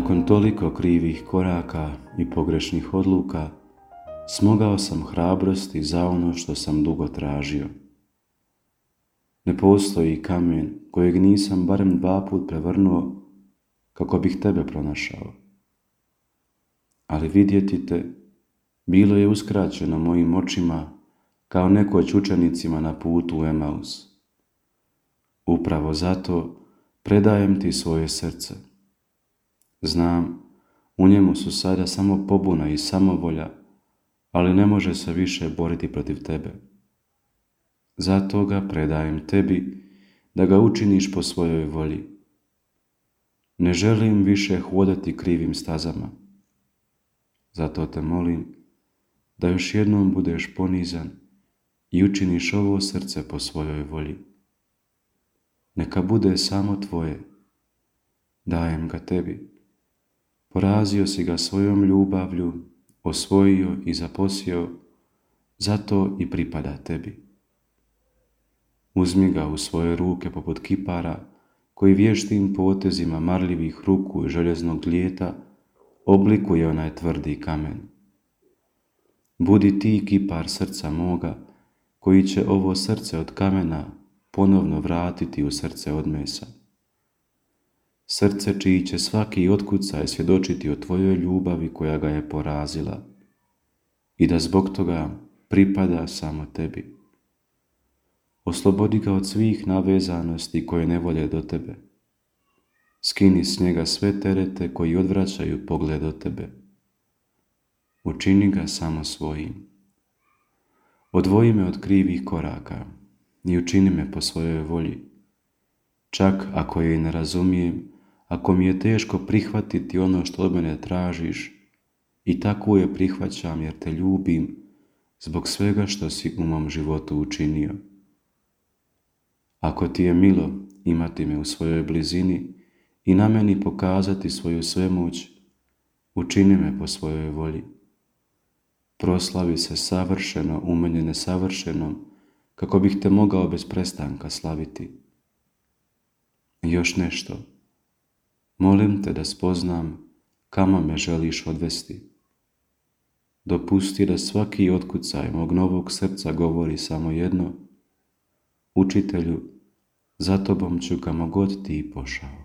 Nakon toliko krivih koraka i pogrešnih odluka, smogao sam hrabrosti za ono što sam dugo tražio. Ne postoji kamen kojeg nisam barem 2 puta prevrnuo kako bih tebe pronašao. Ali vidjeti te bilo je uskraćeno mojim očima kao nekoć učenicima na putu u Emaus. Upravo zato predajem ti svoje srce. Znam, u njemu su sada samo pobuna i samovolja, ali ne može se više boriti protiv tebe. Zato ga predajem tebi da ga učiniš po svojoj volji. Ne želim više hodati krivim stazama. Zato te molim da još jednom budeš ponizan i učiniš ovo srce po svojoj volji. Neka bude samo tvoje. Dajem ga tebi. Porazio si ga svojom ljubavlju, osvojio i zaposio, zato i pripada tebi. Uzmi ga u svoje ruke poput kipara, koji vještim potezima marljivih ruku i željeznog dlijeta oblikuje onaj tvrdi kamen. Budi ti kipar srca moga, koji će ovo srce od kamena ponovno vratiti u srce od mesa. Srce čiji će svaki otkucaj svjedočiti o tvojoj ljubavi koja ga je porazila i da zbog toga pripada samo tebi. Oslobodi ga od svih navezanosti koje ne volje do tebe. Skini s njega sve terete koji odvraćaju pogled od tebe. Učini ga samo svojim. Odvoji me od krivih koraka i učini me po svojoj volji. Čak ako je i ne razumijem, ako mi je teško prihvatiti ono što od mene tražiš, i tako je prihvaćam jer te ljubim zbog svega što si u mom životu učinio. Ako ti je milo imati me u svojoj blizini i na meni pokazati svoju svemoć, učini me po svojoj volji. Proslavi se savršeno u meni nesavršenom, kako bih te mogao bez prestanka slaviti. I još nešto. Molim te da spoznam kamo me želiš odvesti. Dopusti da svaki otkucaj mog novog srca govori samo jedno: Učitelju, za tobom ću kamo god ti pošao.